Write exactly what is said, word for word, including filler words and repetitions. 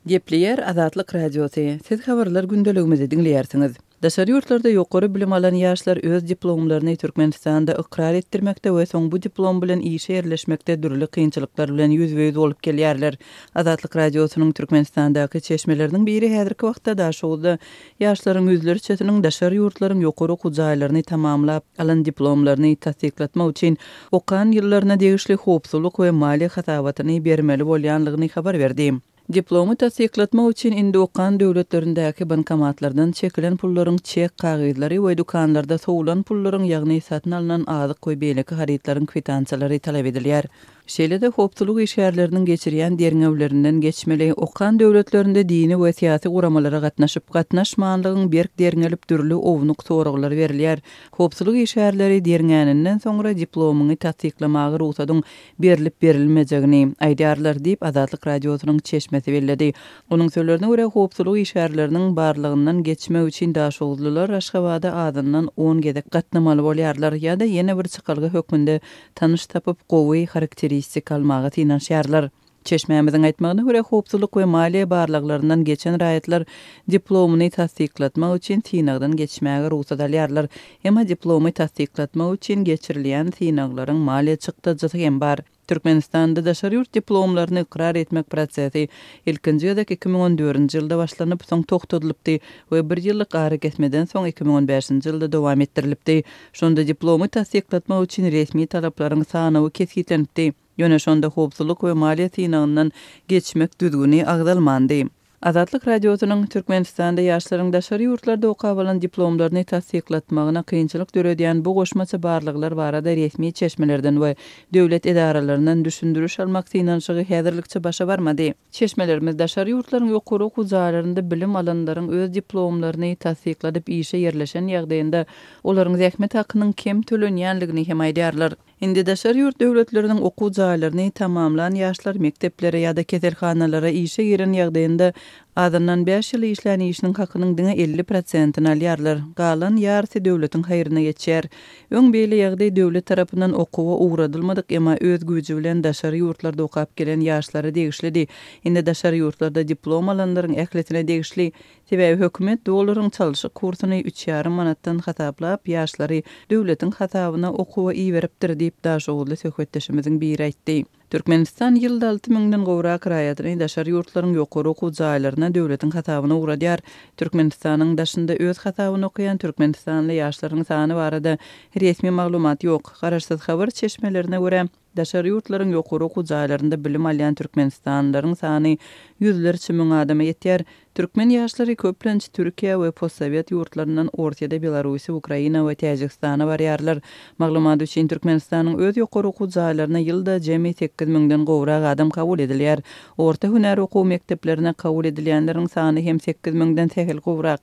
Gepleýär Azatlyk Radiosy. Siz habarlar gündeligimizi diňleýärsiňiz. Daşary ýurtlarda ýokary bilim alan ýaşlar öz diplomlaryny Türkmenistanda ykrar etdirmekde we soň bu diplom bilen işe ýerleşmekde dürli kynçylyklar bilen ýüzbe-ýüz bolup gelýärler. Azatlyk Radiosynyň Türkmenistandaky çeşmeleriniň biri häzirki wagtda Daşoguzda ýaşlaryň ýüzlerçesiniň daşary ýurtlaryň ýokary okuw jaýlaryny tamamlap alan diplomlaryny tassyklatmak üçin okan ýyllaryna degişli howpsuzlyk we maliýe hasabatyny bermeli bolýanlygyny habar berdi. Diplomy tassyklatmak üçin indi okan döwletlerindäki bankomatlardan çekilen pullaryň çek kagyzlary we dükanlarda sowulan pullaryň, ýagny satyn alnan azyk we beýleki harytlaryň kwitansiýalary talap edilýär. Şeýle-de howpsuzlyk işgärleriniň geçirýän derňewlerinden geçmeli, okan döwletlerinde dini we syýasy guramalara gatnaşyp, gatnaşmanlygyň berk derňelip dürli ownuk soraglar berilýär. Howpsuzlyk işgärleri derňäninden soňra diplomyňy tassyklamaga rugsadyň berlip berilmejegini aýdýarlar diýip Azatlyk Radiosynyň çeşmesi belledi. Onuň sözlerine görä howpsuzlyk işgärleriniň barlygyndan geçmek üçin Daşoguzlylar Aşgabada azyndan on gezek gatnamaly bolýarlar ýa-da ýene bir çykalga hökmünde tanyş tapyp gowy harakteristika almaga synanyşýarlar. Çeşmämiziň aýtmagyna görä howpsuzlyk we maliýe barlaglaryndan geçen raýatlar diplomyny tassyklatmak üçin synagdan geçmäge rugsat alýarlar. Emma diplomy tassyklatmak üçin geçirilýän synaglaryň maliýe çykdajysy hem bar. Türkmenistanda daşary ýurt diplomlaryny ykrar etmek prosesi ilkinji gezek iki müň on dördünji ýylda başlanyp, soň togtadylypdy we bir ýyllyk arakesmeden soň iki müň on bäşinji ýylda dowam etdirilipdi. Şonda diplomy tassyklatmak üçin resmi talaplaryň sanawy kesgitlenipdi. Ýöne şonda howpsuzlyk we maliýe synagyndan geçmek düzgüni agzalmandy. Azatlyk Radiosynyň Türkmenistanda ýaşlaryň daşary ýurtlarda okap alan diplomlaryny tassyklatmagyna kynçylyk döredýän bu goşmaça barlaglar barada resmi çeşmelerden we döwlet edaralaryndan düşündiriş almak synanyşygy häzirlikçe başa barmady. Çeşmelerimiz daşary ýurtlaryň ýokary okuw jaýlarynda bilim alanlaryň öz diplomlaryny tassykladyp işe ýerleşen ýagdaýynda olaryň zähmet hakynyň kem tölenýänligini hem aýdýarlar. Indi daşary ýurt döwletleriniň okuw jaýlaryny tamamlan ýaşlar mekdeplere ýa-da keselhanalara işe giren ýagdaýynda azyndan bäş ýyl işlän işiniň hakynyň diňe elli prosentini alýarlar. Galan ýarysy döwletiň haýryna geçýär. Öň beýle ýagdaý döwlet tarapyndan okuwa ugradylmadyk, emma öz güýji bilen daşary ýurtlarda okap gelen ýaşlara degişlidi. Indi daşary ýurtlarda diplom alanlaryň ählisine degişli. Sebäbi hökümet dollaryň çalşyk kursuny üç ýarym manatdan hasaplap, ýaşlary döwletiň hasabyna okuwa iberipdir diýip Daşoguzly söhbetdeşimiziň biri aýtdy. Türkmenistan ýylda alty müňden gowrak raýatyny daşary ýurtlaryň ýokary okuw jaýlaryna döwletiň hasabyna ugradýar. Türkmenistanyň daşynda öz hasabyny okaýan türkmenistanly ýaşlaryň sany barada resmi maglumat ýok. Garaşsyz habar çeşmelerine görä daşary ýurtlaryň ýokary okuw jaýlarynda bilim alýan türkmenistanlylaryň sany ýüzlerçe müň adama ýetýär. Türkmen ýaşlary köplenç Türkiýe we postsowet ýurtlaryndan Orsiýada, Belarusiýa, Ukraina we Täjigistana barýarlar. Maglumat üçin Türkmenistanyň öz ýokary okuw jaýlaryna ýylda jemi sekiz müňden gowrak adam kabul edilýär. Orta hünär okuw mekdeplerine kabul edilýänleriň sany hem sekiz müňden sähel gowrak.